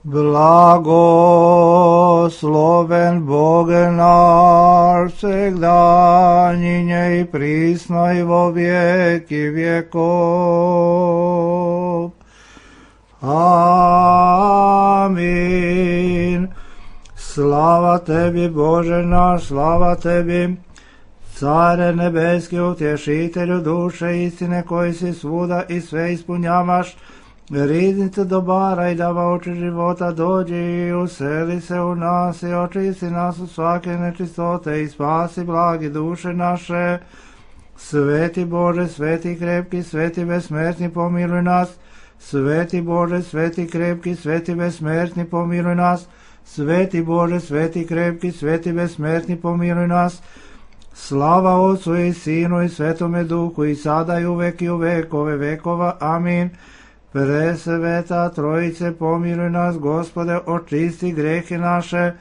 Blagosloven Bog naš, всегда, и присно и во веки веков. Амин. Слава Теbi, Боже наш, слава Tebi, Царе nebeski, utješitelju duše istine, koji si svuda i sve ispunjavaš, riznice dobara i davaoči života, dođi i useli se u nas i očisti nas od svake nečistote i spasi blagi duše naše. Sveti Bože, sveti krepki, sveti besmrtni, pomiluj nas. Sveti Bože, sveti krepki, sveti besmrtni, pomiluj nas. Sveti Bože, sveti krepki, sveti besmrtni, pomiluj nas. Slava Otcu i Sinu i Svetome Duhu, i sada i uvek i u vekove vekova. Amin. Presveta Trojice, pomiluj nas, Gospode, očisti grehe naše,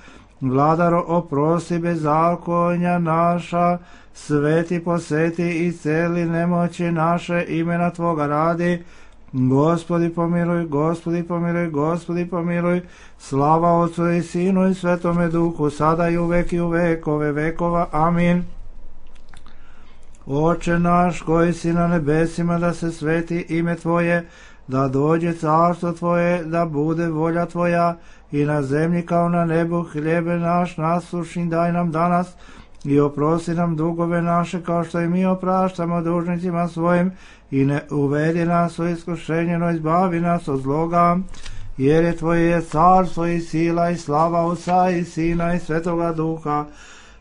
Vladaro, oprosti bezakonja naša, sveti poseti i celi nemoći naše, imena Tvoga radi. Gospodi pomiluj, Gospodi pomiluj, Gospodi pomiluj. Slava Otcu i Sinu i Svetome Duhu, sada i uvek i u vekove vekova. Amin. Oče naš koji si na nebesima, da se sveti ime Tvoje, da dođe carstvo Tvoje, da bude volja Tvoja i na zemlji kao na nebu. Hljebe naš nasušni daj nam danas i oprosti nam dugove naše kao što i mi opraštamo dužnicima svojim, i ne uvedi nas u iskušenje, no izbavi nas od zloga, jer je Tvoje carstvo i sila i slava Otca i Sina i Svetoga Duha,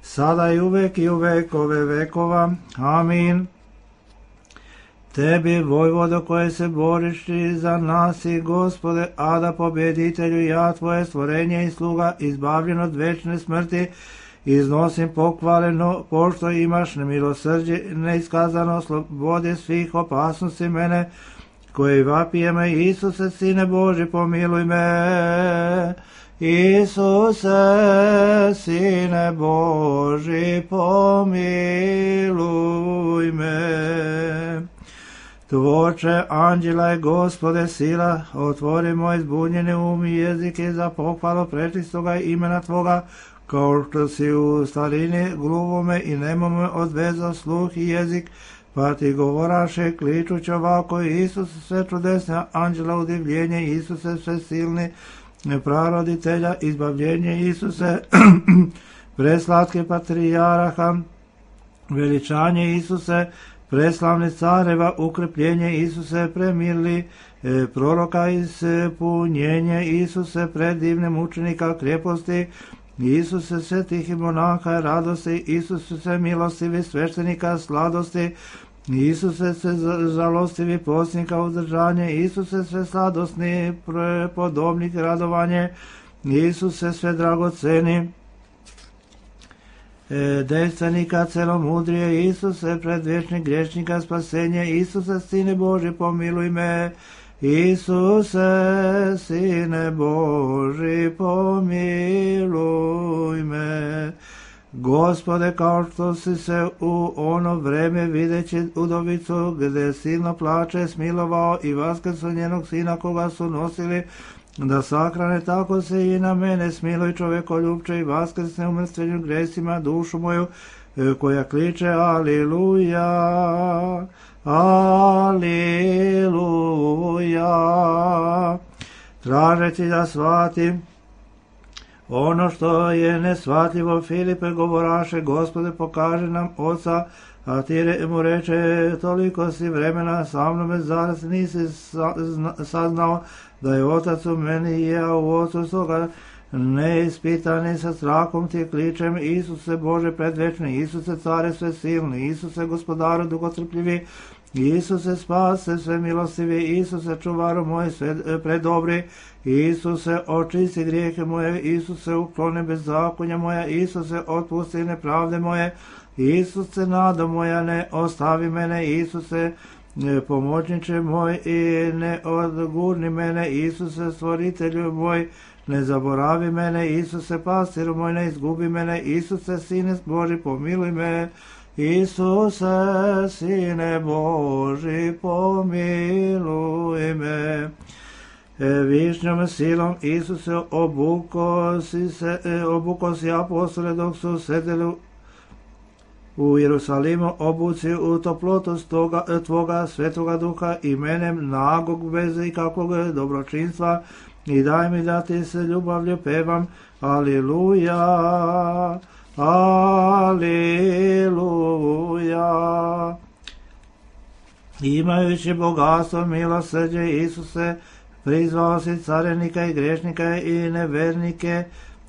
sada i uvek i u vekove vekova. Amin. Tebi, vojvodo, koje se boriš i za nas i Gospode, Ada pobjeditelju, ja Tvoje stvorenje i sluga, izbavljen od večne smrti, iznosim pohvale, no pošto imaš nemilosrđe neiskazano, slobode svih opasnosti mene, koji vapije me. Isuse, Sine Boži, pomiluj me. Isuse, Sine Boži, pomiluj me. Tvoče anđela i Gospode sila, otvori moj zbunjeni um i jezike za pohvalu prečistoga imena Tvoga, kao što si u starini gluvome i nemome odvezao sluh i jezik, pa ti govoraše kličuć ovako: Isuse, sve čudesne anđela udivljenje, Isuse, sve silni praroditelja izbavljenje, Isuse, preslatke patrijaraha veličanje, Isuse, preslavni careva ukrepljenje, Isuse, premirli proroka ispunjenje, Isuse, predivne mučenika kreposti, Isuse, svetih i monaha radosti, Isuse, sve milostivi sveštenika sladosti, Isuse, sve žalostivi postnika uzdržanje, Isuse, sve sladosni podobnik radovanje, Isuse, sve dragoceni dejstvenika celomudrije, Isuse, predvječnik grešnika spasenje, Isuse, Sine Boži, pomiluj me. Isuse, Sine Boži, pomiluj me. Gospode, kao što si se u ono vreme videći udovicu, gde silno plače, smilovao i vaskrso njenog sina koga su nosili da sahrane, tako se i na mene smiluj, čovekoljubče, i vaskrsne umrtvenju gresima dušu moju, koja kliče Aliluja, Aliluja. Tražeći da shvatim ono što je nesvatljivo, Filipe govoraše: Gospode, pokaže nam Oca. A ti mu reče: toliko si vremena sa mnom, zaraz nisi saznao da je Otac u meni i ja u Otcu, stoga neispitani sa strahom ti kličem: Isuse, Bože predvečni, Isuse, care sve silni, Isuse, gospodaru dugotrpljivi, Isuse, spase sve milostivi, Isuse, čuvaru moj sve predobri, Isuse, očisti grijehe moje, Isuse, ukloni bezakonja moja, Isuse, otpusti nepravde moje, Isuse, nada moja, ne ostavi mene, Isuse, pomoćniče moj, i ne odgurni mene, Isuse, stvoritelju moj, ne zaboravi mene, Isuse, pastiru moj, ne izgubi mene, Isuse, Sine Boži, pomiluj me. Isuse, Sine Boži, pomiluj me. višnjom silom Isuse obuko si apostole dok su sedeli u Jerusalimu, obuci u toplotu tvoga svetoga duha imenem nagog bez ikakvog dobročinstva i daj mi da ti se ljubavlju pevam. Aliluja, aliluja. Imajući bogatstvo milosrđe Isuse, prizvao si carenika i grešnika i nevernike,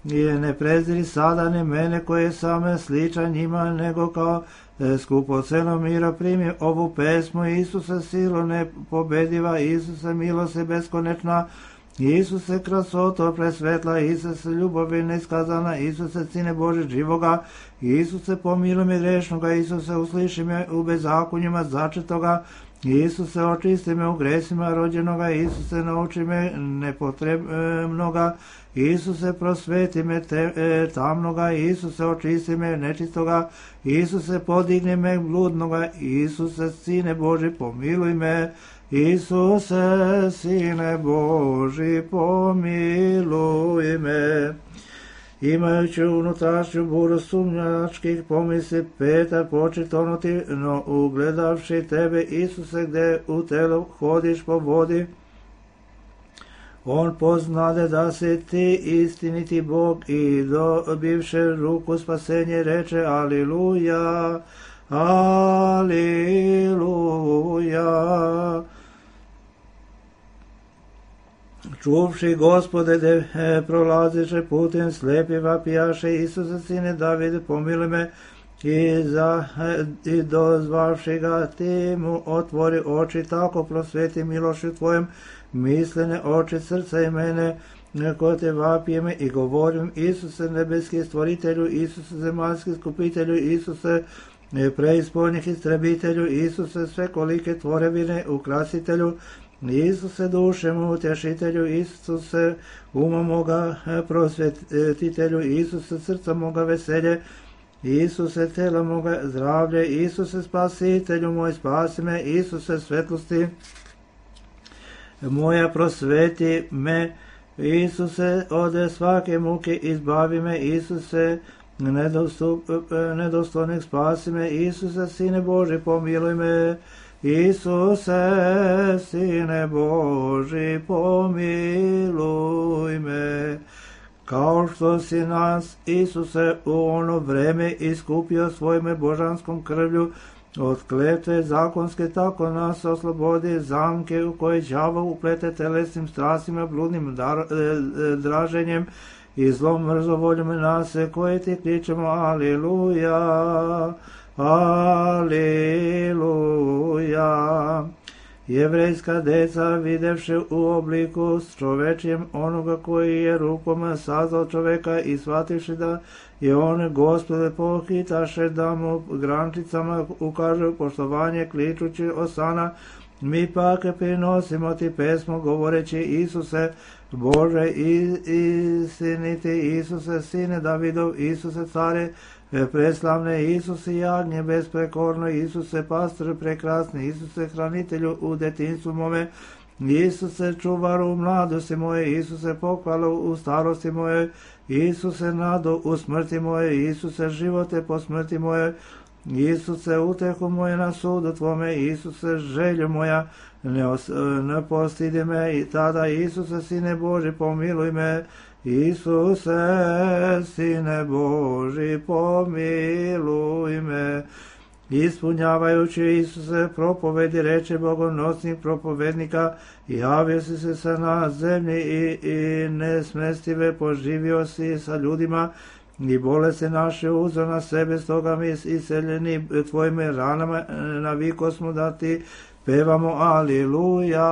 i ne preziri sada ni mene koje sam sličan njima, nego kao skupoceno mira primi ovu pesmu. Isuse silo nepobediva, Isuse milost beskonečna, Isuse krasoto presvetla, Isuse ljubavi neiskazana, Isuse Sine Bože živoga, Isuse pomiluj me grešnoga, Isuse usliši me u bezakonjima začetoga, Isuse očisti me u gresima rođenoga, Isuse nauči me nepotrebnoga, Isuse prosveti me tamnoga, Isuse očisti me nečistoga, Isuse podigni me bludnoga, Isuse Sine Boži pomiluj me, Isuse Sine Boži pomiluj me. Imajući unutrašnju buru sumnjačkih pomisli, Petar poče tonuti, no ugledavši tebe, Isuse, gde u telu hodiš po vodi, on poznade da si ti istiniti Bog i dobivše ruku spasenje reče aliluja, aliluja. Čuvši Gospode, de prolaziše putem slepi vapijaše, Isuse Sine Davide pomiluj me, i dozvavši ga ti mu otvori oči, tako prosveti milošću tvojom mislene oči srca i mene, ko te vapijem i govorim, Isuse nebeski stvoritelju, Isuse zemaljski skupitelju, Isuse preispolnih istrebitelju, Isuse svekolike tvorevine ukrasitelju, Isuse duše mu utješitelju, Isuse uma moga prosvetitelju, Isuse srca moga veselje, Isuse tela moga zdravlje, Isuse spasitelju moj spasi me, Isuse svetlosti moja prosveti me, Isuse od svake muke izbavi me, Isuse nedostojnih spasi me, Isuse Sine Boži pomiluj me, Isuse Sine Boži pomiluj me. Kao što si nas, Isuse, u ono vreme iskupio svojim božanskom krvlju od kletve zakonske, tako nas oslobodi zamke u koje đavo uplete telesnim strastima, bludnim draženjem i zlom mrzovoljom nas, koje ti kličemo aliluja, aliluja. Jevrejska deca, videvši u obliku s čovečijem onoga koji je rukom sazvao čoveka i shvativši da je on Gospode, pohitaše da mu grančicama ukažu poštovanje, kličući osana. Mi pak prinosimo ti pesmu govoreći, Isuse Bože istiniti, Isuse Sine Davidov, Isuse care preslavne, Isuse jagnje besprekorno, Isuse pastor prekrasni, Isuse hranitelju u detinjstvu mome, Isuse čuvaru u mladosti moje, Isuse pohvalu u starosti moje, Isuse nadu u smrti moje, Isuse živote po smrti moje, Isuse utehu moje na sudu tvome, Isuse želju moja, ne postidi me i tada, Isuse Sine Boži pomiluj me, Isuse Sine Boži pomiluj me. Ispunjavajući Isuse propovedi reče bogonosnih propovednika, javio si se sa na zemlji i nesmestive poživio si sa ljudima i bolesti naše uzeo na sebe, stoga mi iseljeni tvojim ranama naviko smo da ti pevamo aliluja,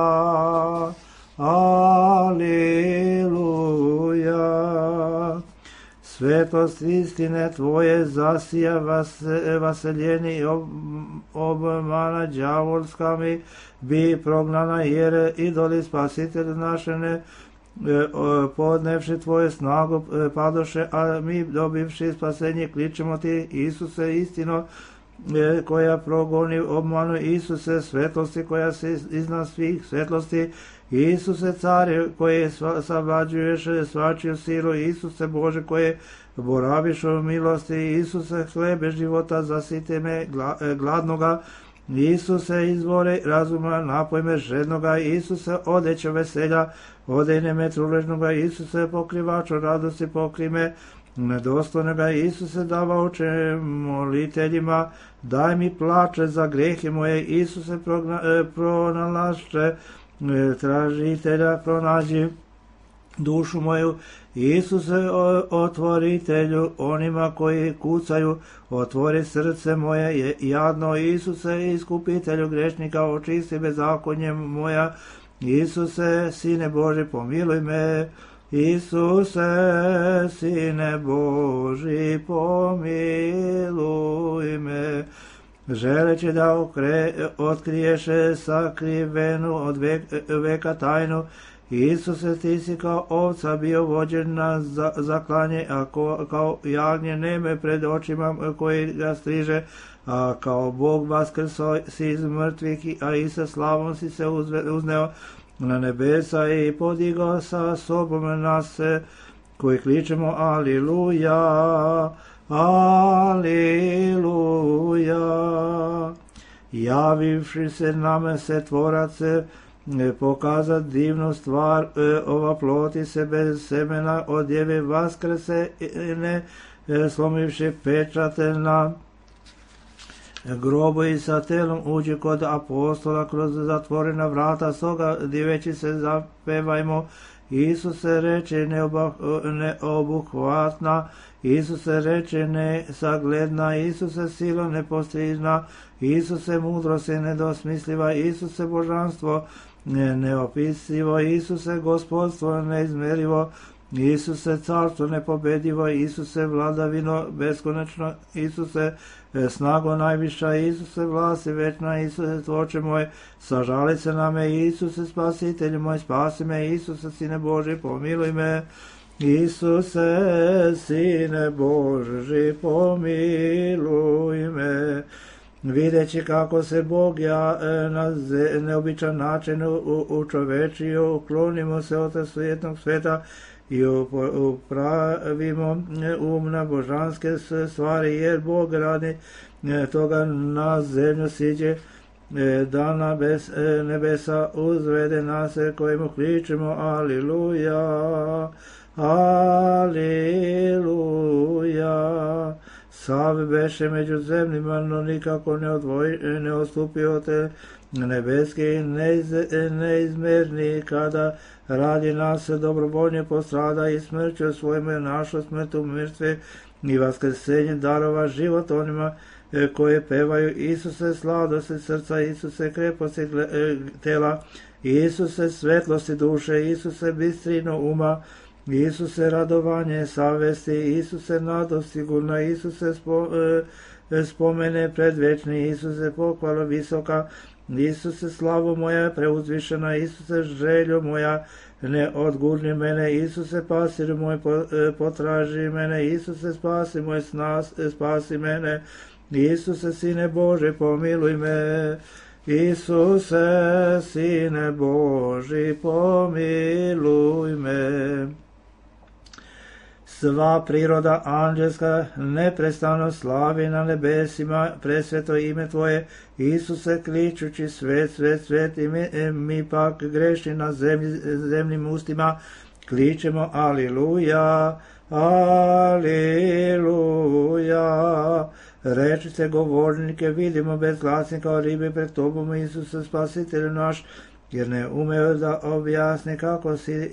aliluja. Svetost istine tvoje zasija vaseljeni obmana đavolska mi bi prognana, jer idoli spasitelj naše ne podnevši tvoje snagu padoše, a mi dobivši spasenje kličemo ti, Isuse istino koja progoni obmanu, Isuse svetlosti koja si iznad svih svetlosti, Isuse care koje savlađuješ svačiju silu, Isuse Bože koje boraviš u milosti, Isuse hlebe života zasite me gladnoga, Isuse izvore razuma napoj me žednoga, Isuse odeće veselja odejne me truležnoga, Isuse pokrivaču radosti pokri me nedostojnoga, Isuse davaoče moliteljima daj mi plače za grehe moje, Isuse pronalašče tražitelja pronađi dušu moju, Isuse otvoritelju onima koji kucaju, otvori srce moje jadno, Isuse iskupitelju grešnika očisti bezakonje moja, Isuse Sine Boži pomiluj me, Isuse Sine Boži pomiluj me. Želeći da otkriješ sakrivenu od veka tajnu, Isuse ti si kao ovca bio vođen na zaklanje, a kao jagnje neme pred očima koji ga striže, a kao Bog vaskrso si iz mrtvih, a i sa slavom si se uzneo na nebesa i podigao sa sobom nas koji kličemo Aliluja, Aliluja. Javivši se nama se tvorac pokazat divnu stvar, ova ploti se bez semena od djeve vaskrese, ne slomivši pečate na grobu i sa telom uđi kod apostola kroz zatvorena vrata, stoga diveći se zapevajmo, Isuse reče neobuhvatna, Isuse reče nesagledna, Isuse silo nepostižna, Isuse mudrost nedosmisliva, Isuse božanstvo neopisivo, Isuse gospodstvo neizmerivo, Isuse carstvo nepobedivo, Isuse vladavino beskonačno, Isuse snago najviša, Isuse vlasti večna, Isuse tvoče moj, sažali se na me, Isuse spasitelju moj, spasi me, Isuse Sine Boži pomiluj me, Isuse Sine Boži pomiluj me. Videći kako se Bog na neobičan način učovečio, uklonimo se od svijetnog sveta i upravimo na božanske stvari, jer Bog radi toga na zemlju siđe, da na nebesa uzvede nas kojemu kličemo Aliluja, Aliluja. Sav beše među zemljima, no nikako ne odstupio te nebeski neizmerni, kada radi nas dobrovoljno postrada i smrću svojme našu smrtu mrtve i vaskrsenje darova život onima koje pevaju Isuse sladosti srca, Isuse kreposti tela, Isuse svetlosti duše, Isuse bistrino uma, Isuse radovanje savesti, Isuse nado sigurna, Isuse spomene predvečni, Isuse pohvala visoka, Isuse slavu moja preuzvišena, Isuse želju moja ne odgurni mene, Isuse pasir moj potraži mene, Isuse spasi moj spasi mene, Isuse Sine Bože pomiluj me, Isuse Sine Boži pomiluj me. Sva priroda anđelska neprestano slavi na nebesima presveto ime Tvoje, Isuse kličući svet, svet, svet, i mi pak grešni na zemljim ustima kličemo Aliluja, Aliluja. Rečite govornike, vidimo bez glasnika ribe pred Tobom, Isuse spasitelju naš, jer ne umeo da objasni kako si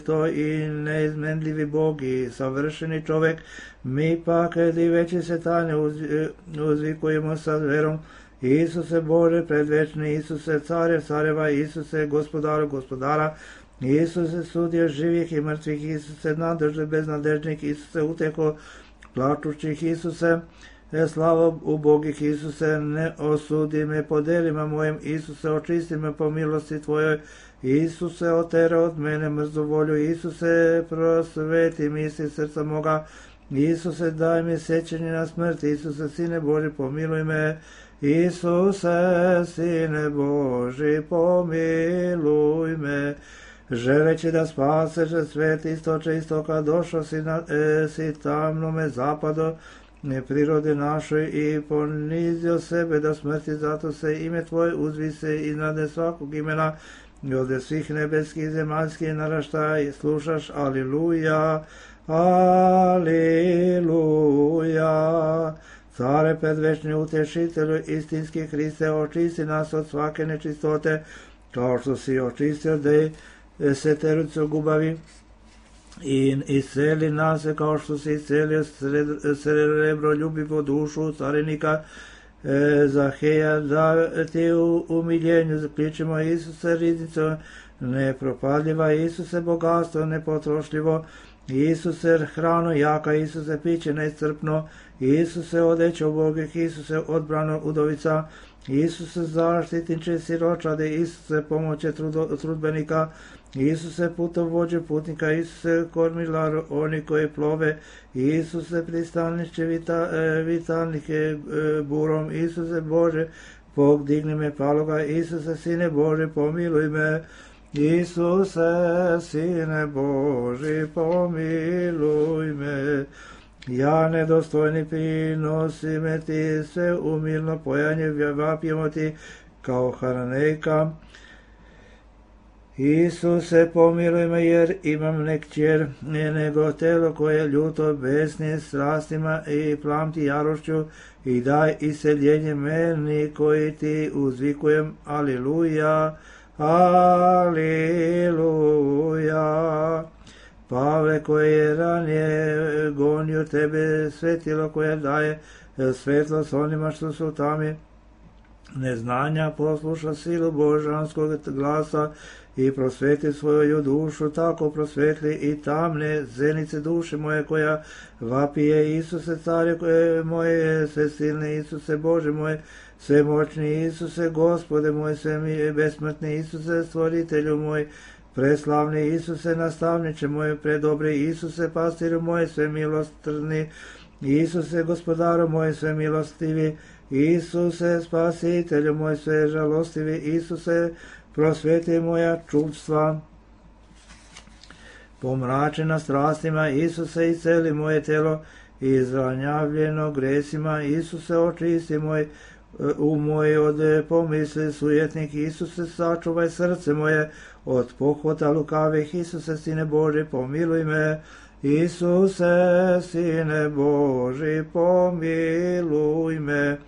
to i neizmenljivi Bog i savršeni čovek, mi pak diveći se tajne uzvikujemo sa verom, Isuse Bože predvečni, Isuse care careva, Isuse gospodaru gospodara, Isuse sudje živih i mrtvih, Isuse nadežde beznadežnih, Isuse uteko plačućih, Isuse slava ubogih, Isuse ne osudi me po delima mojim, Isuse očisti me po milosti Tvojoj, Isuse otera od mene mrzu volju, Isuse prosveti misli srca moga, Isuse, daj mi sjećanje na smrt. Isuse, Sine Boži, pomiluj me. Isuse, Sine Boži, pomiluj me. Želeći da spaseš svet istoče istoka, došao si tamnome zapado prirode našoj i ponizio sebe do smrti, zato se ime Tvoje uzvise iznad svakog imena i od svih nebeskih zemaljskih naraštaja slušaš. Aliluja, aliluja. Care predvečni utešitelju, istinski Hriste, očisti nas od svake nečistote, kao što si očistio desetericu gubavi, i isceli nas kao što si iscelio srebroljubivu dušu carenika Zaheja, da ti u umiljenju zakličimo. Isuse, riznico nepropadljiva, Isuse, bogatstvo nepotrošljivo, Isuse, hrano jaka, Isuse, piće neiscrpno, Isuse, odeće ubogih, Isuse, odbrano udovica, Isuse, zaštitniče siročade, Isuse, pomoće trudbenika, Isuse, putovođe putnika, Isuse, kormilar oni koji plove, Isuse, pristanišće vitalnike burom, Isuse Bože, podigni me paloga, Isuse, Sine Bože, pomiluj me. Isuse, Sine Boži, pomiluj me. Ja nedostojni prinosi me ti, sve umilno pojanje vapijemo ti kao haranejka. Isuse, pomiluj me, jer imam ne kćer, nego telo koje ljuto besni strastima i plamti jarošću, i daj iseljenje meni koji ti uzvikujem. Aliluja, aliluja. Pavle, koje je ranije gonio tebe, svetilo koje daje svetlost onima što su tami neznanja, posluša silu božanskog glasa i prosveti svoju dušu, tako prosvetli i tamne zenice duše moje koja vapije. Isuse, care koje moje, sve silne, Isuse Bože moje, svemoćni Isuse, Gospode moj, sve besmrtni Isuse, stvoritelju moj, preslavni Isuse, nastavniče moj, predobri Isuse, pastiru moj, sve milostrni Isuse, gospodaru moj, sve milostivi Isuse, spasitelju moj, sve žalostivi Isuse, prosveti moja čudstva. Pomračena strastima Isuse, isceli moje telo izranjavljeno gresima Isuse, očisti moj moj od pomisli sujetnik Isuse, sačuvaj srce moje od pohota lukavih. Isuse, Sine Boži, pomiluj me. Isuse, Sine Boži, pomiluj me.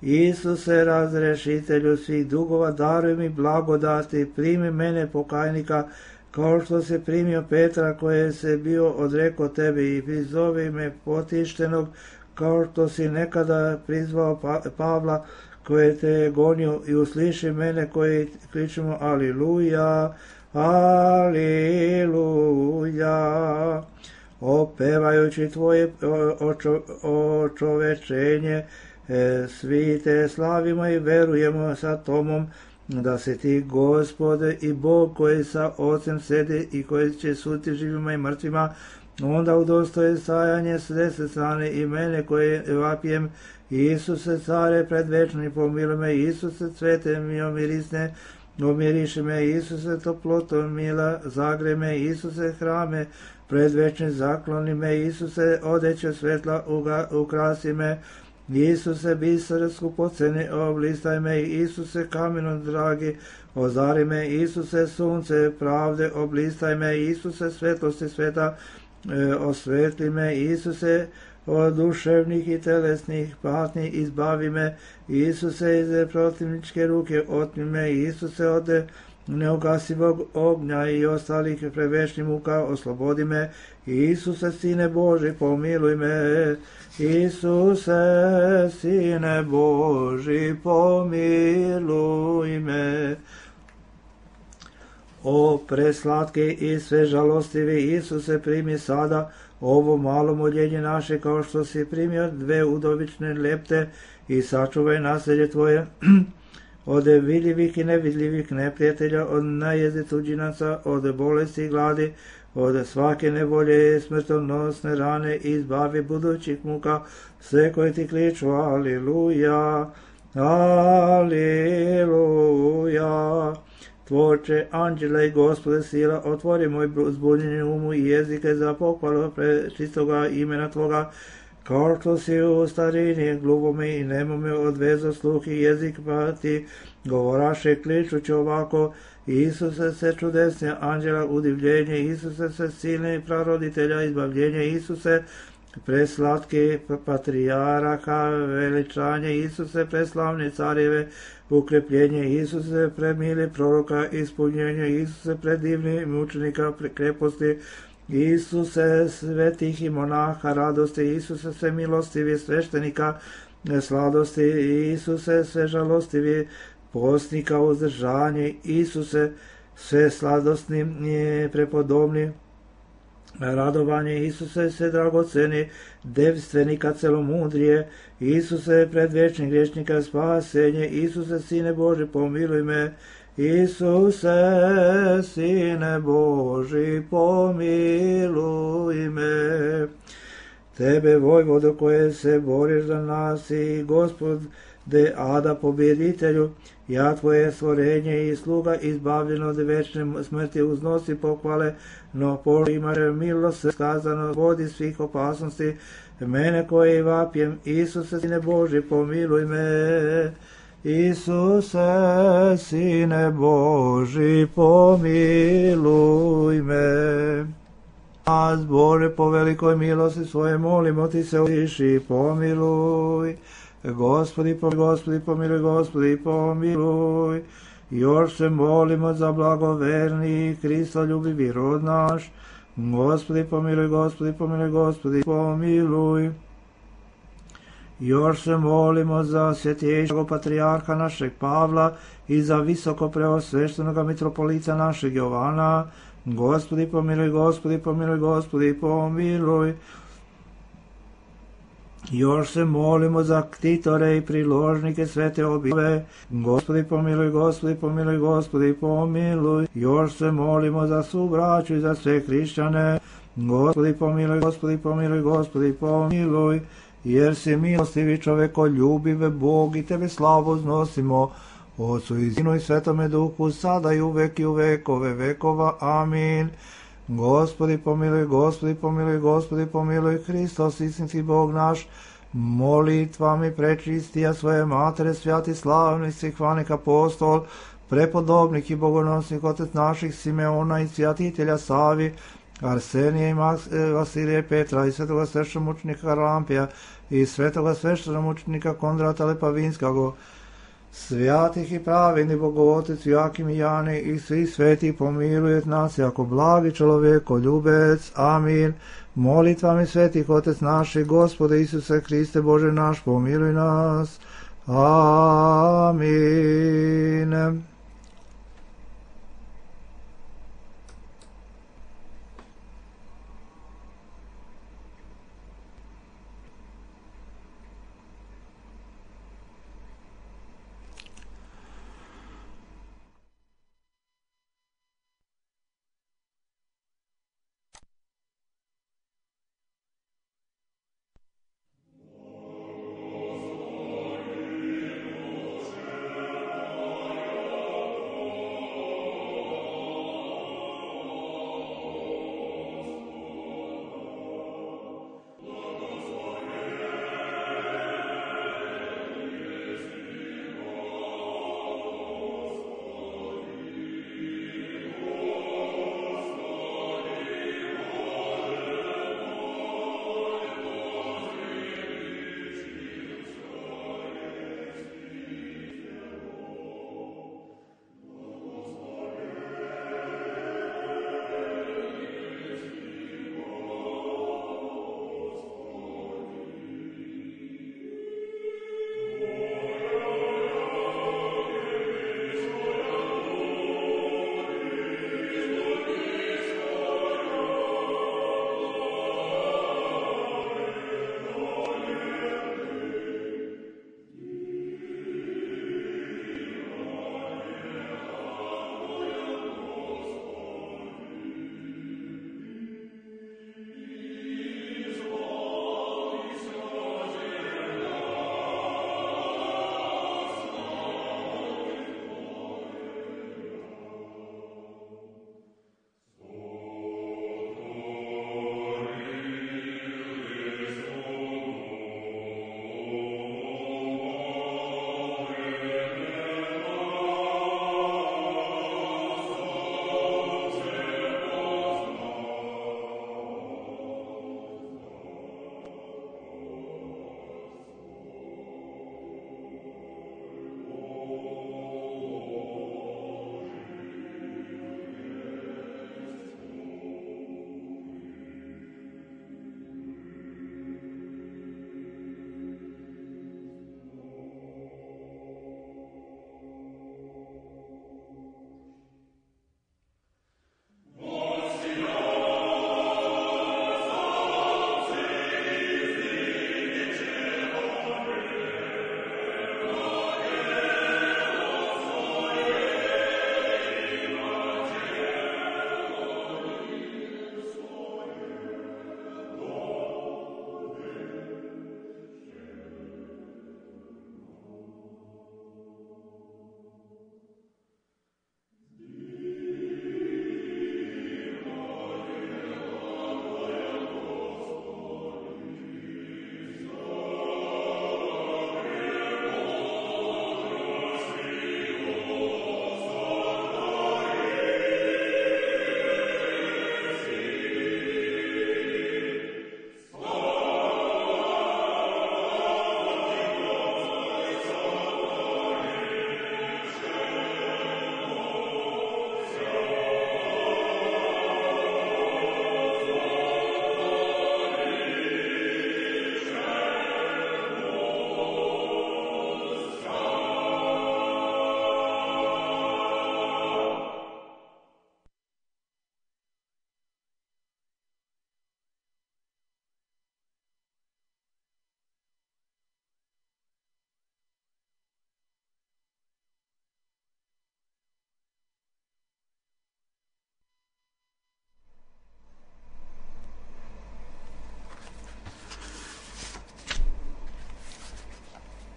Isuse, razrešitelju svih dugova, daruj mi blagodati, primi mene pokajnika, kao što se primio Petra, koje se bio odrekao tebi, i prizovi me potištenog, kao što si nekada prizvao Pavla, koje te je gonio, i usliši mene koji kričemo aliluja, aliluja. Opevajući tvoje očovečenje, svi te slavimo i verujemo sa Tomom, da si ti, Gospode i Bog, koji sa Ocem sedi i koji će suditi živima i mrtvima, onda udostoje stajanje s desne strane i mene koje vapijem. Isuse, care predvečni, pomiluj me. Isuse, cvete mi omirisne, omiriši me. Isuse, toplotom mila, zagre me. Isuse, hrame predvečni, zakloni me. Isuse, odeće svetla, ukrasi me. Isuse, biser skupoceni, oblistaj me. Isuse, kamenom dragi, ozari me. Isuse, sunce pravde, oblistaj me. Isuse, svetlosti sveta, osvetli me. Isuse, od duševnih i telesnih patnji izbavi me. Isuse, iz protivničke ruke otmi me. Isuse, od neugasivog ognja i ostalih prevečnih muka oslobodi me. Isuse, Sine Boži, pomiluj me. Isuse, Sine Boži, pomiluj me. O preslatki i sve žalostivi Isuse, primi sada ovo malo moljenje naše, kao što si primio dve udovične lepte, i sačuvaj naselje tvoje od vidljivih i nevidljivih neprijatelja, od najezde tuđinaca, od bolesti i gladi, od svake nevolje, smrtonosne rane, izbavi budućih muka, sve koji ti kliču, aliluja, aliluja. Tvorče, anđele i Gospode sila, otvori moj zbunjeni umu i jezike za pohvalu prečistoga imena Tvoga, kao što si u starini gluvome i nemome odvezo sluh i jezik, pa ti govoraše kličući ovako: Isuse se čudesne anđela udivljenje, Isuse se silni praroditelja izbavljenje, Isuse preslatki patrijarha veličanje, Isuse preslavne carjeve ukrepljenje, Isuse premili proroka ispunjenje, Isuse predivni mučenika kreposti, Isuse svetih i monaha radosti, Isuse sve milostivi sveštenika sladosti, Isuse sve žalostivi postnika uzdržanje, Isuse sve sladostni prepodobni radovanje, Isuse sve dragoceni devstvenika celomudrije, Isuse predvečnih grešnika spasenje, Isuse Sine Boži pomiluj me, Isuse Sine Boži pomiluj me. Tebe, vojvodo, koje se boriš za nas i Gospode Ada pobjeditelju, ja Tvoje stvorenje i sluga izbavljeno od večne smrti uznosi pohvale, no imaš milost skazano vodi svih opasnosti, mene koji vapjem, Isuse Sine Boži pomiluj me. Isuse Sine Boži pomiluj me. Nas, Bože, po velikoj milosti svoje molimo Ti se utiši, pomiluj. Gospodi pomiluj, Gospodi pomiluj. Još se molimo za blagoverni Kristoljubivi rod naš. Gospodi pomiluj, Gospodi pomiluj, Gospodi pomiluj. Još se molimo za svjetejšeg patrijarha našeg Pavla i za visoko preosveštenoga mitropolita našeg Jovana. Gospodi pomiluj, Gospodi pomiluj, Gospodi pomiluj. Još se molimo za ktitore i priložnike svete objave. Gospodi pomiluj, Gospodi pomiluj, Gospodi pomiluj. Još se molimo za svu braću i za sve hrišćane. Gospodi pomiluj, Gospodi pomiluj, Gospodi pomiluj. Jer si milostivi čovekoljubive Bog i Tebe slavu uznosimo, Otcu i Sinu i Svetome Duhu, sada i uvek i u vekove vekova. Amin. Gospodi pomiluj, Gospodi pomiluj, Gospodi pomiluj, Hristos istinski Bog naš, molitvami prečistija svoje matere, svjati slavni Stihvanik apostol, prepodobnik i bogonosnik otec naših Simeona i svjatitelja Savi, Arsenija i Vasilija i Petra i svetoga sveštemučenika Rampija i svetoga sveštemučenika Kondrata Lepavinskog, svjatih i pravedni Bogovotec Joakim i Jani i svi sveti pomilujet nas jako blagi čovjeko ljubec. Amin. Molitvami svetih Otec naši, Gospode Isuse Hriste Bože naš, pomiluj nas. Amin.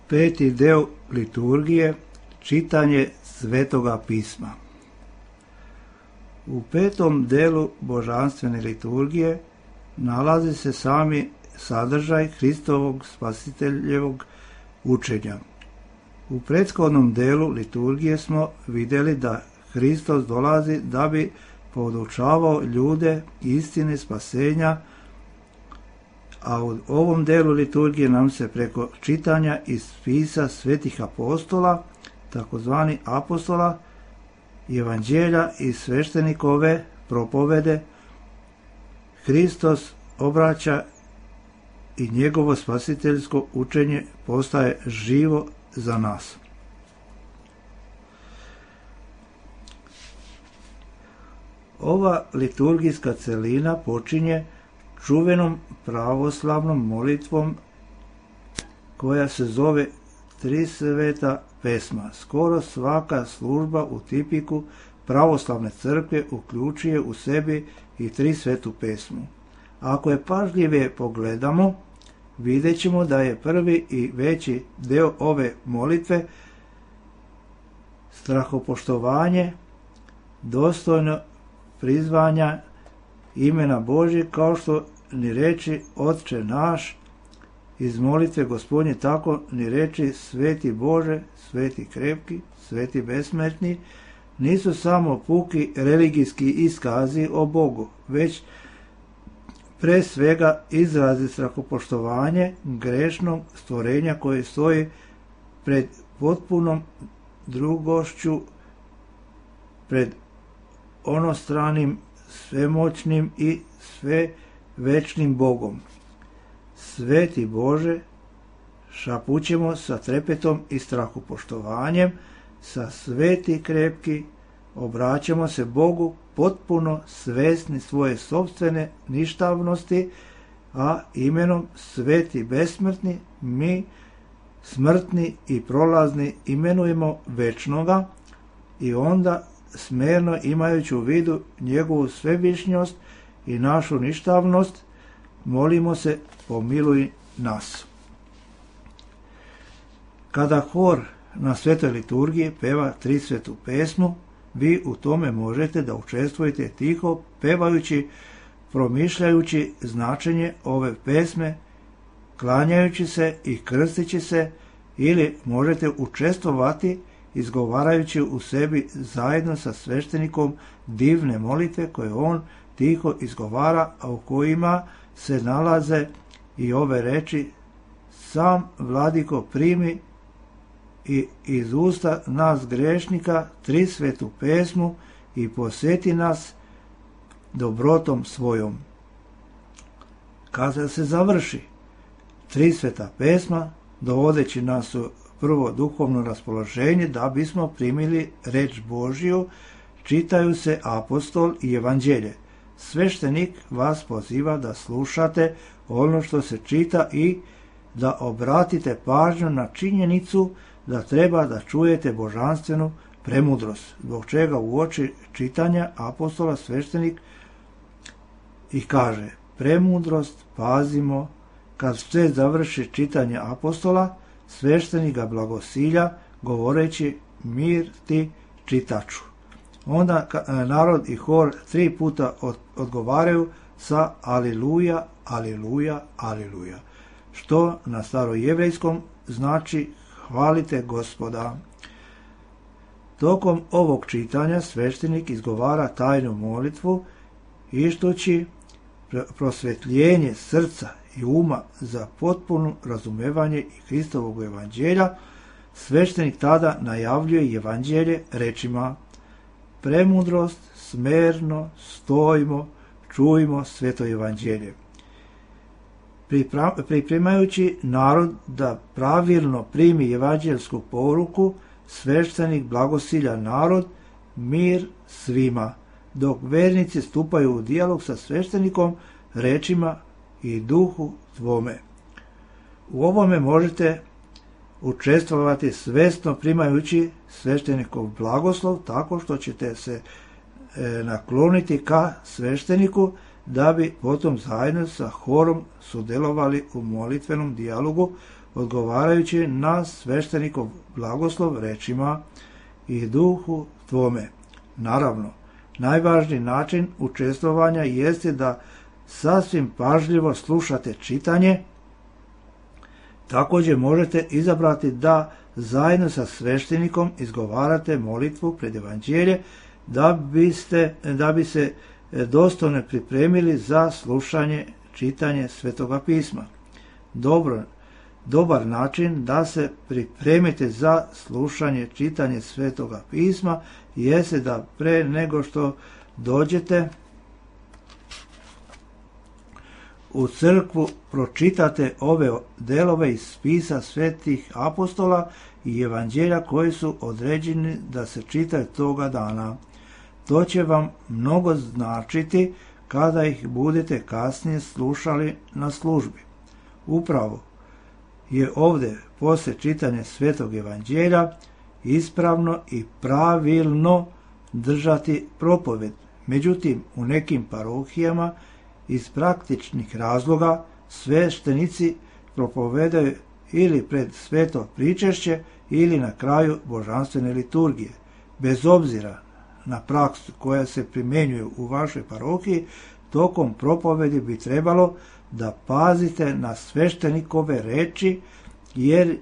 Peti deo liturgije, čitanje Svetoga pisma. U petom delu božanstvene liturgije nalazi se sami sadržaj Hristovog spasiteljevog učenja. U prethodnom delu liturgije smo vidjeli da Hristos dolazi da bi podučavao ljude istine spasenja, a u ovom delu liturgije nam se preko čitanja iz spisa svetih apostola, takozvani apostola, evanđelja i sveštenikove propovede, Hristos obraća i njegovo spasiteljsko učenje postaje živo za nas. Ova liturgijska celina počinje čuvenom pravoslavnom molitvom koja se zove Tri sveta pesma. Skoro svaka služba u tipiku pravoslavne crkve uključuje u sebi i tri svetu pesmu. Ako je pažljivije pogledamo, vidjet ćemo da je prvi i veći deo ove molitve strahopoštovanje dostojno prizvanja imena Božje, kao što ni reči Otče naš iz molitve Gospodnje, tako ni reči Sveti Bože, Sveti krepki, Sveti besmrtni nisu samo puki religijski iskazi o Bogu, već pre svega izrazi strahopoštovanje grešnog stvorenja koje stoji pred potpunom drugošću, pred onostranim, svemoćnim i svevečnim Bogom. Sveti Bože, šapućemo sa trepetom i strahopoštovanjem, sa sveti krepki, obraćamo se Bogu potpuno svesni svoje sopstvene ništavnosti, a imenom Sveti besmrtni mi, smrtni i prolazni, imenujemo večnoga i onda smerno imajući u vidu njegovu svevišnjost i našu ništavnost, molimo se pomiluj nas. Kada hor na svetoj liturgiji peva tri svetu pesmu, vi u tome možete da učestvujete tiho, pevajući, promišljajući značenje ove pesme, klanjajući se i krstići se, ili možete učestvovati izgovarajući u sebi zajedno sa sveštenikom divne molitve koje on tiho izgovara, a u kojima se nalaze i ove reči: sam Vladiko primi i iz usta nas grešnika tri svetu pesmu i posjeti nas dobrotom svojom. Kada se završi tri sveta pesma, dovodeći nas u prvo duhovno raspoloženje da bismo primili reč Božju, čitaju se apostol i evanđelje. Sveštenik vas poziva da slušate ono što se čita i da obratite pažnju na činjenicu da treba da čujete božanstvenu premudrost, zbog čega u oči čitanja apostola sveštenik i kaže: premudrost pazimo. Kad se završi čitanje apostola, sveštenik ga blagosilja govoreći: mir ti čitaču. Onda narod i hor tri puta odgovaraju sa aliluja, aliluja, aliluja, što na starojevrejskom znači hvalite Gospoda. Tokom ovog čitanja sveštenik izgovara tajnu molitvu, ištući prosvetljenje srca i uma za potpuno razumevanje i Hristovog evanđelja. Sveštenik tada najavljuje evanđelje rečima: premudrost, smerno, stojimo, čujmo sveto evanđelje. Pripremajući narod da pravilno primi evanđelsku poruku, sveštenik blagosilja narod: mir svima, dok vernici stupaju u dijalog sa sveštenikom rečima: i duhu tvome. U ovome možete učestvovati svesno primajući sveštenikov blagoslov, tako što ćete se nakloniti ka svešteniku da bi potom zajedno sa horom sudjelovali u molitvenom dijalogu, odgovarajući na sveštenikov blagoslov rečima i duhu tvome. Naravno, najvažniji način učestvovanja jeste da sasvim pažljivo slušate čitanje. Također možete izabrati da zajedno sa sveštenikom izgovarate molitvu pred evanđelje da bi se dostojno pripremili za slušanje čitanje Svetoga pisma. Dobar način da se pripremite za slušanje čitanje Svetoga pisma jeste da pre nego što dođete u crkvu pročitate ove delove iz spisa svetih apostola i evanđelja koji su određeni da se čitaju toga dana. To će vam mnogo značiti kada ih budete kasnije slušali na službi. Upravo je ovdje poslije čitanja Svetog evanđelja ispravno i pravilno držati propoved. Međutim, u nekim parohijama iz praktičnih razloga sveštenici propovedaju ili pred sveto pričešće ili na kraju božanstvene liturgije. Bez obzira na praksu koja se primjenjuje u vašoj parohiji, tokom propovedi bi trebalo da pazite na sveštenikove reči, jer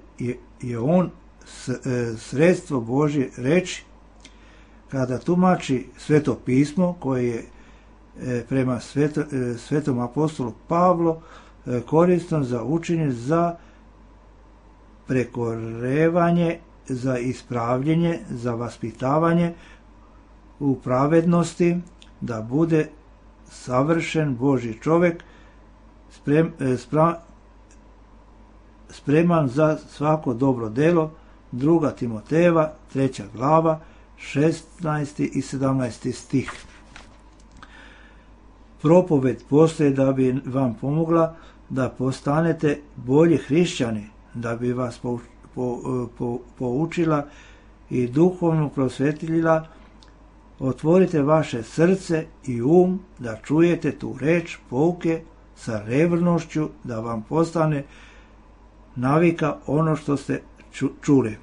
je on sredstvo Božje reči. Kada tumači Sveto pismo, koje je prema svetom apostolu Pavlu korisno za učenje, za prekorevanje, za ispravljenje, za vaspitavanje u pravednosti, da bude savršen Božji čovjek, spreman za svako dobro delo. 2. Timotejeva, 3. glava, 16. i 17. stih. Propoved postoji da bi vam pomogla da postanete bolji hrišćani, da bi vas poučila i duhovno prosvetljila. Otvorite vaše srce i da čujete tu reč pouke sa revnošću, da vam postane navika ono što ste čuli.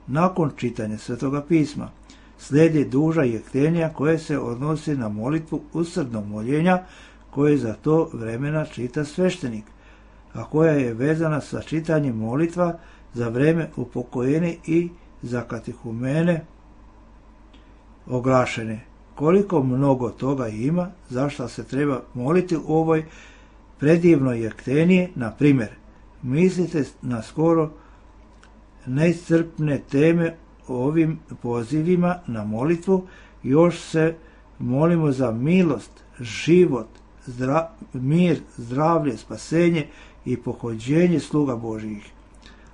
Nakon čitanja Svetoga pisma slijedi duža jektenja koje se odnosi na molitvu usrdnog moljenja koje za to vremena čita sveštenik, a koja je vezana sa čitanjem molitva za vreme upokojenja i za katehumene oglašene. Koliko mnogo toga ima zašto se treba moliti u ovoj predivnoj jekteniji. Na primjer, mislite na skoro neiscrpne teme o ovim pozivima na molitvu. Još se molimo za milost, život, mir, zdravlje, spasenje i pohođenje sluga Božjih.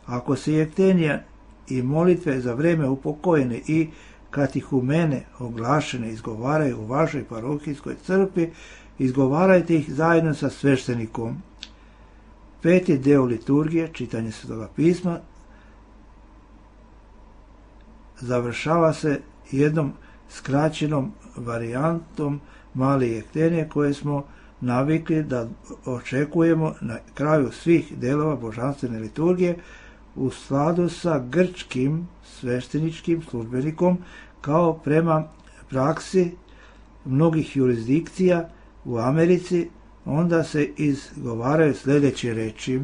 Ako se jektenija i molitve za vreme upokojene i katehumene oglašene izgovaraju u vašoj parohijskoj crkvi, izgovarajte ih zajedno sa sveštenikom. 5. deo liturgije, čitanje Svetoga pisma, završava se jednom skraćenom varijantom male jektenije koje smo navikli da očekujemo na kraju svih delova božanstvene liturgije u skladu sa grčkim svešteničkim službenikom, kao prema praksi mnogih jurisdikcija u Americi. Onda se izgovaraju sljedeće reči: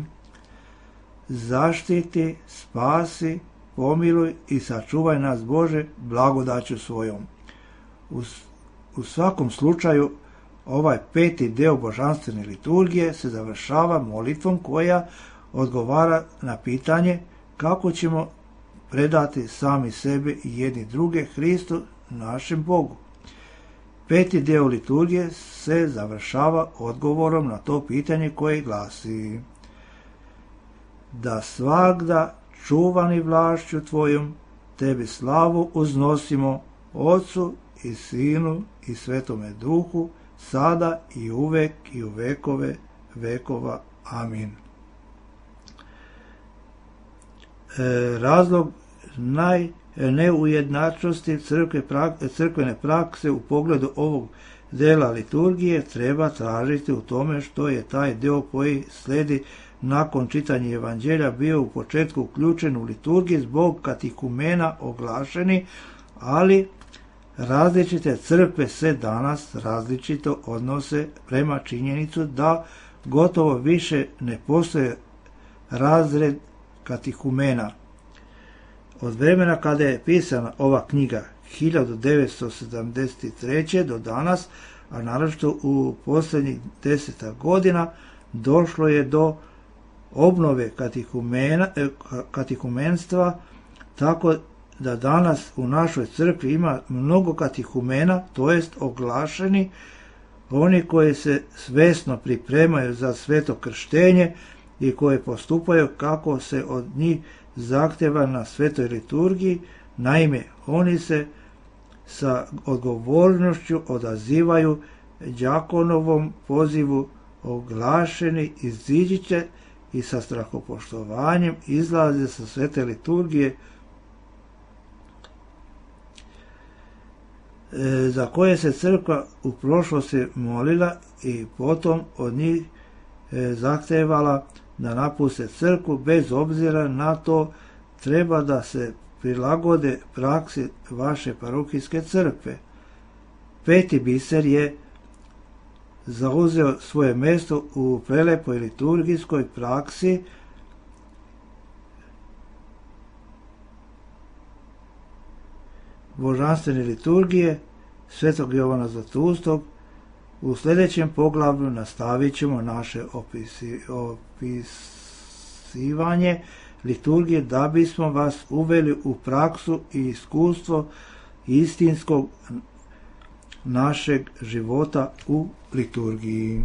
zaštiti, spasi, pomiluj i sačuvaj nas Bože blagodaću svojom. U svakom slučaju ovaj 5. deo božanstvene liturgije se završava molitvom koja odgovara na pitanje kako ćemo predati sami sebe i jedni druge Hristu, našem Bogu. 5. deo liturgije se završava odgovorom na to pitanje koje glasi: da svagda čuvani vlašću tvojom tebi slavu uznosimo, Otcu i Sinu i Svetome Duhu, sada i uvek i u vekove vekova. Amin. Razlog neujednačnosti crkvene prakse u pogledu ovog dela liturgije treba tražiti u tome što je taj deo koji sledi nakon čitanja evanđelja bio u početku uključen u liturgiju zbog katekumena oglašeni, ali različite crkve se danas različito odnose prema činjenicu da gotovo više ne postoje razred katekumena. Od vremena kada je pisana ova knjiga 1973. do danas, a naročito u posljednjih 10 godina, došlo je do obnove katekumenstva, tako da danas u našoj crkvi ima mnogo katekumena, to jest oglašeni, oni koji se svesno pripremaju za sveto krštenje i koji postupaju kako se od njih zahtjeva na svetoj liturgiji. Naime, oni se sa odgovornošću odazivaju đakonovom pozivu oglašeni, iziđite i sa strahopoštovanjem izlaze sa svete liturgije za koje se crkva u prošlosti molila i potom od njih zahtevala da napuste crkvu. Bez obzira na to treba da se prilagode praksi vaše parohijske crkve. Peti biser je zauzeo svoje mjesto u prelepoj liturgijskoj praksi božanstvene liturgije svetog Jovana Zlatulskog. U sljedećem poglavlju nastavit ćemo naše opisivanje liturgije da bismo vas uveli u praksu i iskustvo istinskog našeg života u liturgiji.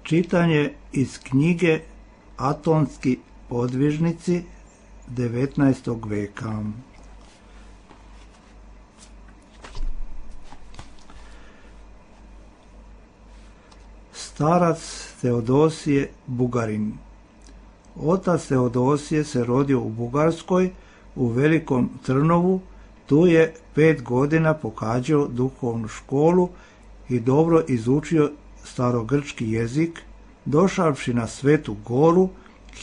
Čitanje iz knjige Atonski podvižnici 19. veka. Starac Teodosije Bugarin. Otac Teodosije se rodio u Bugarskoj, u Velikom Trnovu. Tu je 5 godina pohađao duhovnu školu i dobro izučio starogrčki jezik. Došavši na Svetu Goru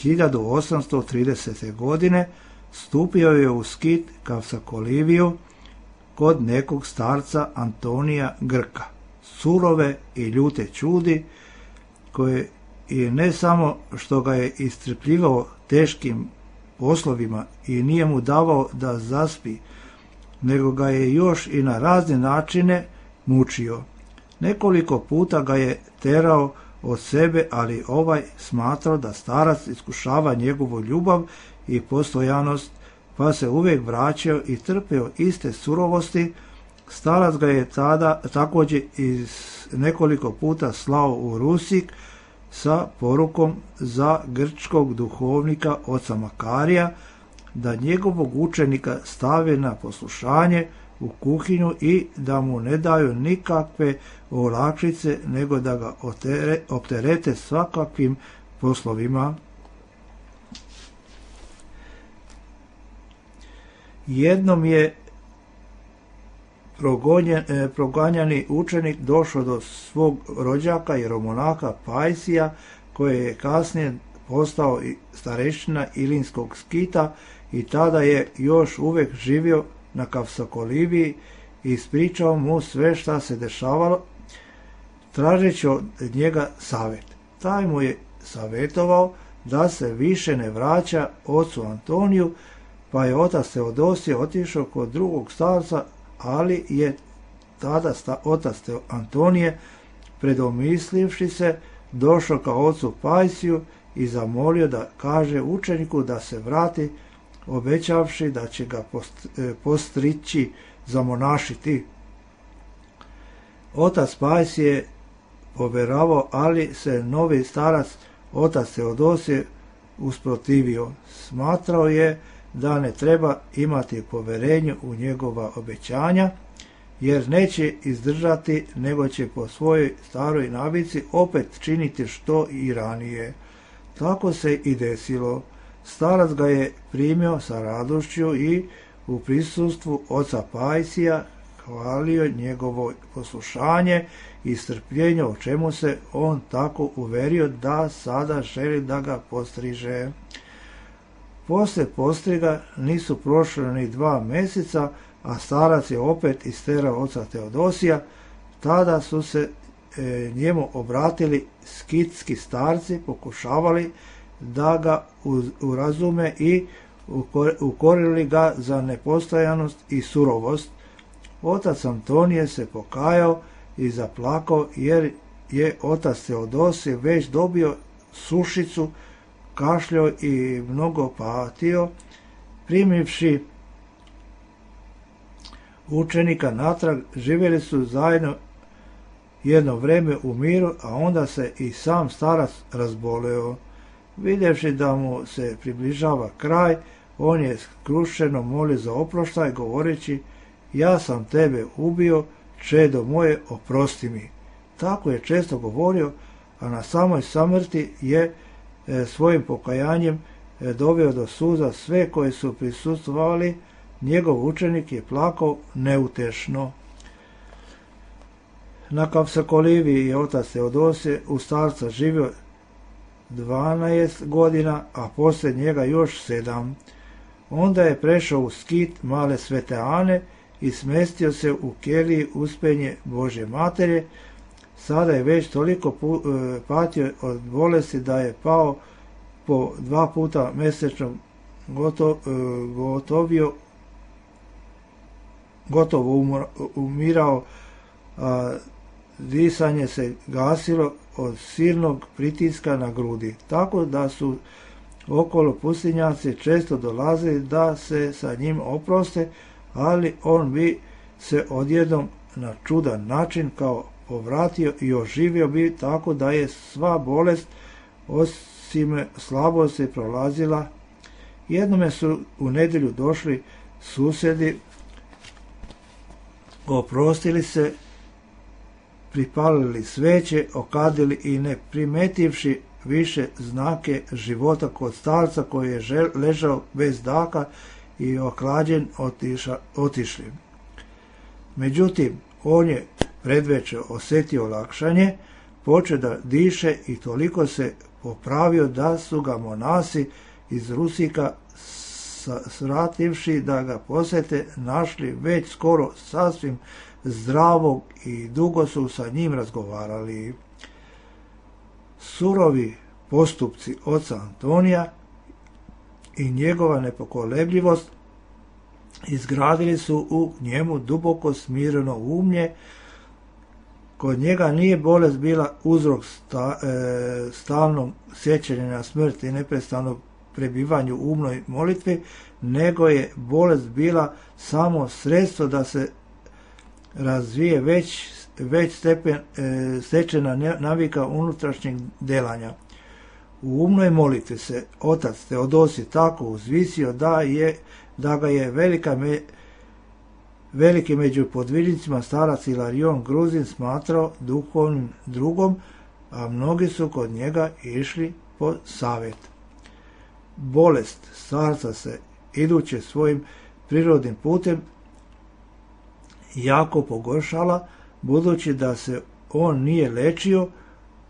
1830. godine, stupio je u skit Kavsakoliviju kod nekog starca Antonija Grka, surove i ljute čudi, koje i ne samo što ga je iscrpljivao teškim poslovima i nije mu davao da zaspi, nego ga je još i na razne načine mučio. Nekoliko puta ga je terao od sebe, ali ovaj smatrao da starac iskušava njegovu ljubav i postojanost, pa se uvijek vraćao i trpeo iste surovosti. Starac ga je tada također nekoliko puta slao u Rusik sa porukom za grčkog duhovnika oca Makarija da njegovog učenika stave na poslušanje u kuhinju i da mu ne daju nikakve olakšice, nego da ga opterete svakakvim poslovima. Jednom je proganjani učenik došao do svog rođaka jeromonaha Pajsija, koji je kasnije postao starešina Ilinskog skita i tada je još uvijek živio na Kavsakoliviji i ispričao mu sve šta se dešavalo, tražeći od njega savjet. Taj mu je savjetovao da se više ne vraća ocu Antoniju, pa je otac Teodosije otišao kod drugog starca, ali je tada otac Antonije, predomislivši se, došao ka ocu Pajsiju i zamolio da kaže učeniku da se vrati, obećavši da će ga postrići zamonašiti. Otac Pajsije je poveravao, ali se novi starac, otac Teodosije, usprotivio. Smatrao je da ne treba imati poverenje u njegova obećanja, jer neće izdržati, nego će po svojoj staroj navici opet činiti što i ranije. Tako se i desilo. Starac ga je primio sa radošću i u prisustvu oca Pajsija hvalio njegovo poslušanje i strpljenje, o čemu se on tako uverio da sada želi da ga postriže. Poslije postriga nisu prošle ni 2 mjeseca, a starac je opet isterao oca Teodosija. Tada su se njemu obratili skitski starci, pokušavali da ga urazume i ukorili ga za nepostojanost i surovost. Otac Antonije se pokajao i zaplakao, jer je otac Teodosije već dobio sušicu, kašljao i mnogo patio. Primivši učenika natrag, živjeli su zajedno jedno vrijeme u miru, a onda se i sam starac razboleo. Vidjevši da mu se približava kraj, on je skrušeno molio za oproštaj, govoreći: ja sam tebe ubio, čedo moje, oprosti mi. Tako je često govorio, a na samoj samrti je svojim pokajanjem doveo do suza sve koji su prisustvovali. Njegov učenik je plakao neutešno. Na Kavsakoliviji je otac Teodosije u starca živio 12 godina, a poslije njega još 7. Onda je prešao u skit Male Svete Ane i smestio se u keliji Uspenje Božje Materje. Sada je već toliko patio od bolesti da je pao po 2 puta mjesečno, gotovo umirao, a disanje se gasilo od silnog pritiska na grudi, tako da su okolo pustinjaci često dolazili da se sa njim oproste, ali on bi se odjednom na čudan način kao povratio i oživio bi tako da je sva bolest osim slabosti prolazila. Jednome su u nedjelju došli susjedi, oprostili se, pripalili sveće, okadili i ne primetivši više znake života kod starca koji je ležao bez daha i ohlađen otišli. Međutim, on je predveče osjetio olakšanje, počeo da diše i toliko se popravio da su ga monasi iz Rusika srativši da ga posjete našli već skoro sasvim zdravog i dugo su sa njim razgovarali. Surovi postupci oca Antonija i njegova nepokolebljivost izgradili su u njemu duboko smireno umlje. Kod njega nije bolest bila uzrok stalnog sjećanja na smrt i neprestanog prebivanju u umnoj molitvi, nego je bolest bila samo sredstvo da se razvije već stečena navika unutrašnjeg delanja. U umnoj molitvi se otac Teodosij tako uzvisio da ga je veliki među podvižnicima starac Ilarion Gruzin smatrao duhovnim drugom, a mnogi su kod njega išli po savjet. Bolest starca se, idući svojim prirodnim putem, jako pogoršala, budući da se on nije lečio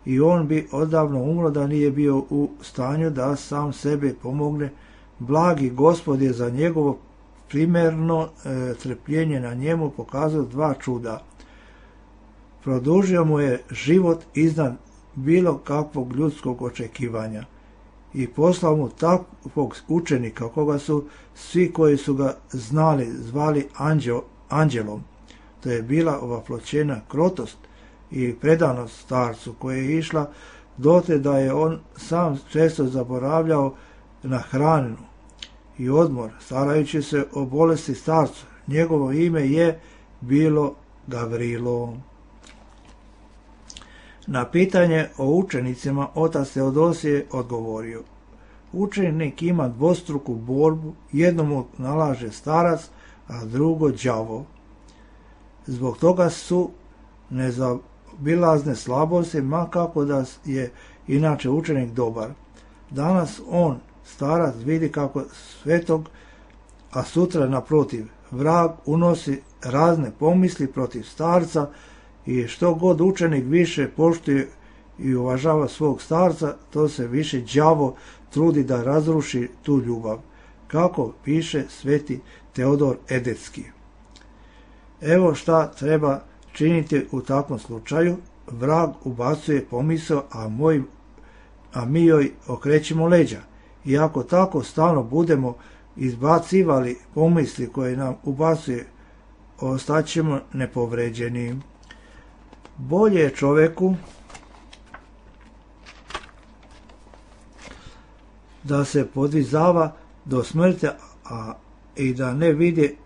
i on bi odavno umro da nije bio u stanju da sam sebe pomogne. Blagi Gospod je za njegovo primerno trpljenje na njemu pokazao dva čuda. Produžio mu je život iznad bilo kakvog ljudskog očekivanja i poslao mu takvog učenika koga su svi koji su ga znali zvali anđelom. To je bila ovaploćena krotost i predanost starcu koja je išla dote da je on sam često zaboravljao na hranu i odmor, starajući se o bolesti starcu. Njegovo ime je bilo Gavrilo. Na pitanje o učenicima otac Teodosij je odgovorio: učenik ima dvostruku borbu, jednomu nalaže starac, a drugo đavo. Zbog toga su nezaobilazne slabosti, ma kako da je inače učenik dobar. Danas on, starac, vidi kako svetog, a sutra naprotiv, vrag unosi razne pomisli protiv starca i što god učenik više poštuje i uvažava svog starca, to se više đavo trudi da razruši tu ljubav, kako piše sveti Teodor Edetski. Evo šta treba činiti u takvom slučaju. Vrag ubacuje pomisao, a mi joj okrećemo leđa. I ako tako stalno budemo izbacivali pomisli koje nam ubacuje, ostaćemo nepovređeni. Bolje je čoveku da se podvizava do smrti i da ne vidi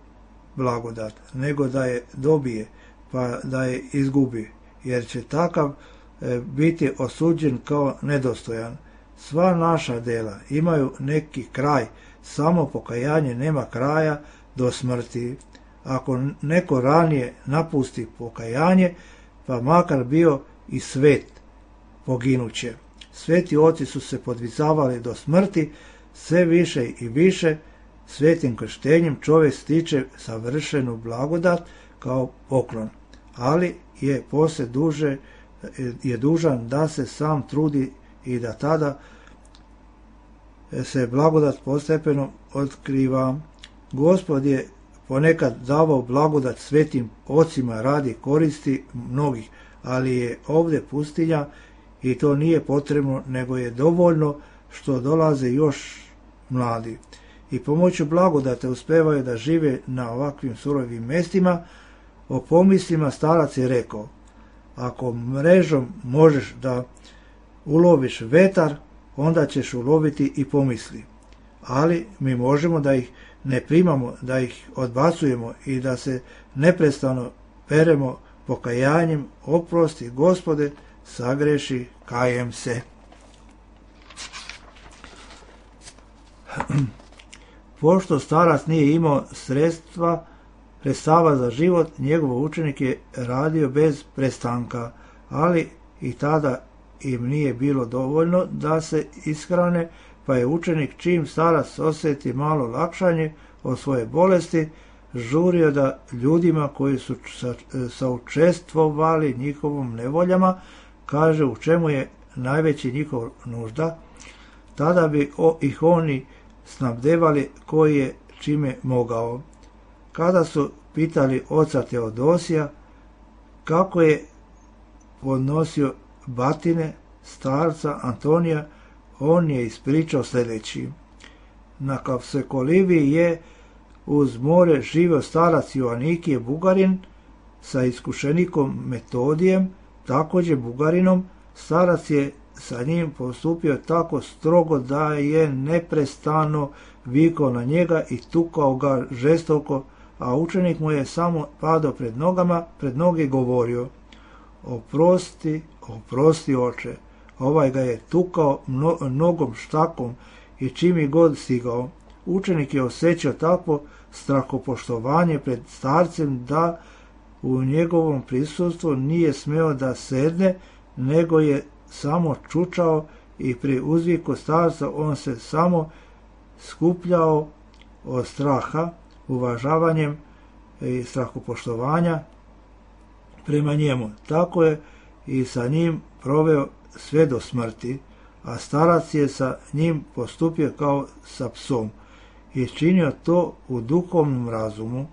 blagodat, nego da je dobije, pa da je izgubi, jer će takav biti osuđen kao nedostojan. Sva naša dela imaju neki kraj, samo pokajanje nema kraja do smrti. Ako neko ranije napusti pokajanje, pa makar bio i svet, poginuće. Sveti oci su se podvizavali do smrti, sve više i više. Svetim krštenjem čovjek stiče savršenu blagodat kao poklon, ali je poslije dužan da se sam trudi i da tada se blagodat postepeno otkriva. Gospod je ponekad davao blagodat svetim ocima radi koristi mnogih, ali je ovdje pustinja i to nije potrebno, nego je dovoljno što dolaze još mladi. I pomoću blagodate uspevaju da žive na ovakvim surovim mjestima. O pomislima starac je rekao: ako mrežom možeš da uloviš vetar, onda ćeš uloviti i pomisli. Ali mi možemo da ih ne primamo, da ih odbacujemo i da se neprestano peremo pokajanjem oprosti Gospode, sagreši, kajem se. Pošto starac nije imao sredstava za život, njegov učenik je radio bez prestanka, ali i tada im nije bilo dovoljno da se ishrane, pa je učenik čim starac osjeti malo lakšanje od svoje bolesti, žurio da ljudima koji su saučestvovali njihovom nevoljama, kaže u čemu je najveći njihov nužda, tada bi ih oni snabdevali koji je čime mogao. Kada su pitali oca Teodosija kako je podnosio batine starca Antonija, on je ispričao sljedeći. Na Kavsekoliviji je uz more živio starac Joanikije Bugarin sa iskušenikom Metodijem, također Bugarinom. Starac je sa njim postupio tako strogo da je neprestano vikao na njega i tukao ga žestoko, a učenik mu je samo padao pred noge govorio: oprosti, oprosti oče. Ovaj ga je tukao nogom štakom i čim je god stigao. Učenik je osjećao takvo strahopoštovanje pred starcem da u njegovom prisustvu nije smeo da sedne, nego je samo čučao i pri uzviku starca on se samo skupljao od straha, uvažavanjem i strahopoštovanja prema njemu. Tako je i sa njim proveo sve do smrti, a starac je sa njim postupio kao sa psom i činio to u duhovnom razumu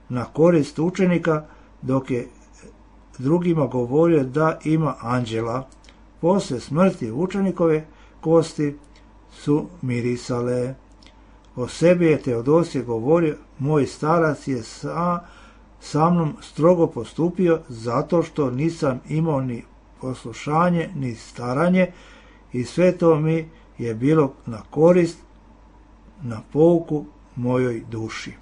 na korist učenika, dok je drugima govorio da ima anđela. Poslije smrti učenikove kosti su mirisale. O sebi je Teodosije govorio: moj starac je sa mnom strogo postupio zato što nisam imao ni poslušanje ni staranje, i sve to mi je bilo na korist, na pouku mojoj duši.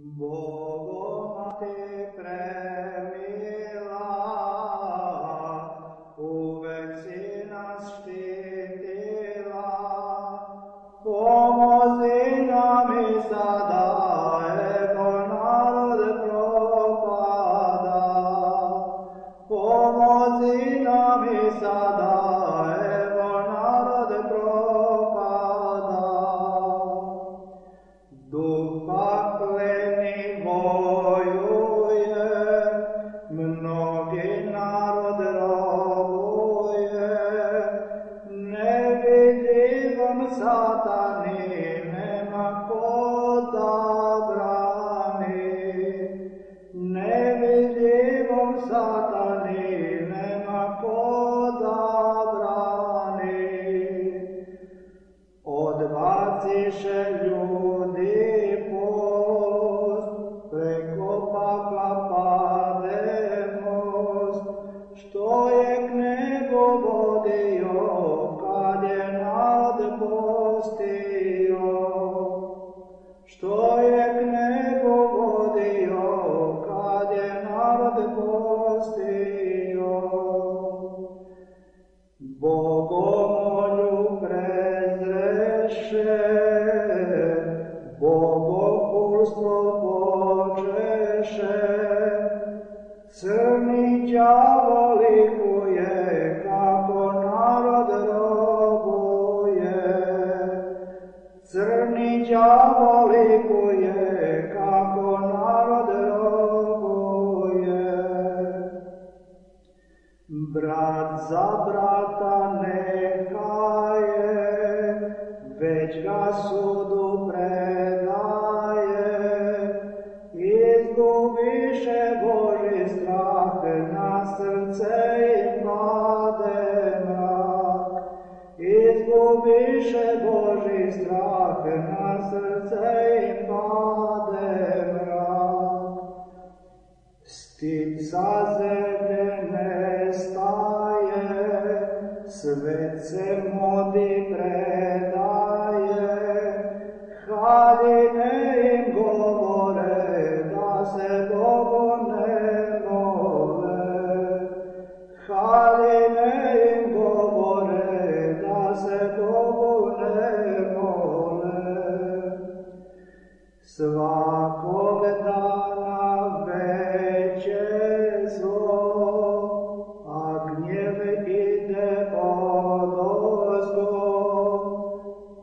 Bogoma te premila, uvek si nas štitila, pomozi nam i sada, ego narod propada. Pomozi nam i sada, ego narod propada. Duh pakleni bojuje, mnogi narod robuje, nevidljivom satani nema ko da brani. Nevidljivom satani nema ko da brani. Odbaciše ljudi post, preko pakla pade most, što je k nebu vodio, kad je narod postio. Što je k nebu vodio, kad je narod postio. Bogomolju prezreše, bogopulstvo počeše, crni đavo likuje, kako narod robuje. Crni đavo likuje, kako narod robuje. Brat za brata neka je, već ga sudu predaje. Izgubiše Boži strah, srce im pade mrak. Izgubiše Božji strah, na srce im pade mrak. Stid sa zemlje nestaje, svet se modi predaje, haline im govore da se Bogu ne mole. Haline im govore da se Bogu ne mole. Svakog dana veće zlo, a gnjev ide odozgo.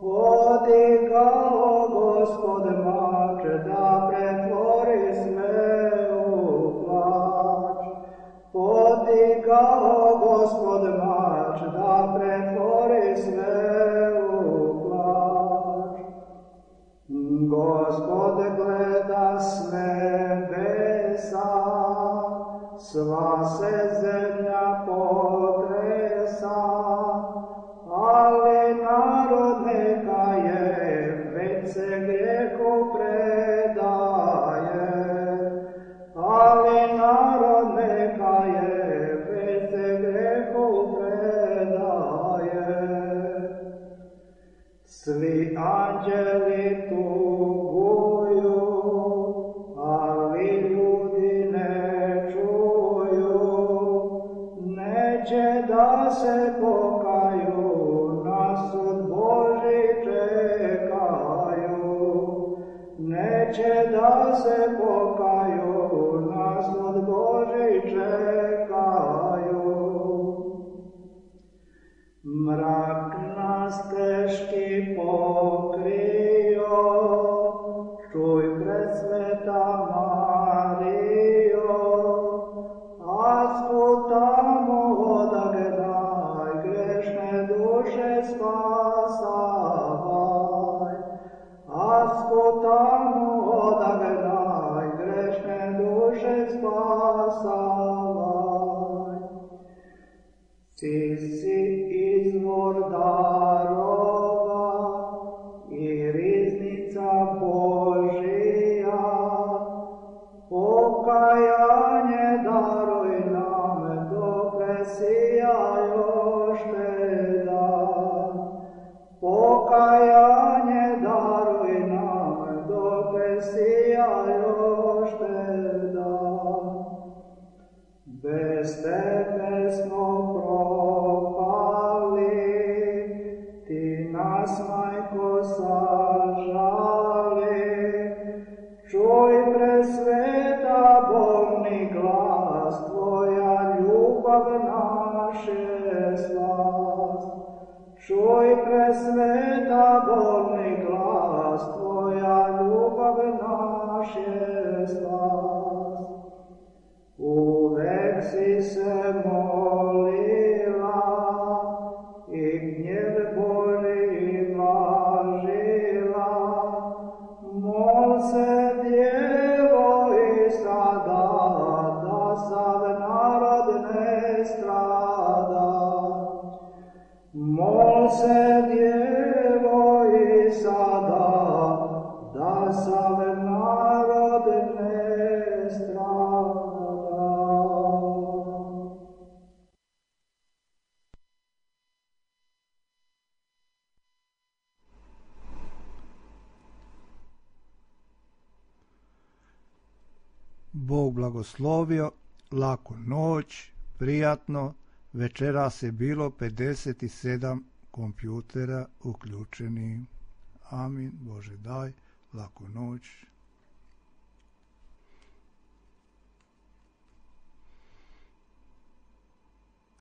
Podigao Gospod mač da pretvori sve u plač. Podigao Gospod mač da pretvori sve u plač. Gospod gleda s nebesa, sva se zemlja potresa, ali narod neka je, već se grijehu predaje. Ali narod neka je, već se grijehu predaje. Svi anđeli tuguju, ali ljudi ne čuju. Neće da se pokaju, na sud Božji čekaju. Neće da se pokaju, na sud Božji čekaju. Mrak nas teški pokrio, čuj presveta Marijo, a sputamo odagnaj, grešne duše spasavaj. A sputamo odagnaj, grešne duše spasavaj. Ti si izvor darova i riznica Božija, pokajanje daruj nam, dokle sija još te dan. Pokajanje daruj nam, dokle sija još te dan. Bez tebe smo propali, ti nas, Majko, sažali. Čuj presveta bolni glas, tvoja ljubav naše slast. Čuj presveta bolni glas, tvoja ljubav naše slast. Uvek si se molila i gnjev Božji blažila. Mol se, Djevo, i sada, da sav narod ne strada. Mol se, Djevo, i sada, da sav narod ne strada. Bog blagoslovio, laku noć, prijatno. Večeras je bilo 57 kompjutera uključeni. Amin. Bože daj, laku noć.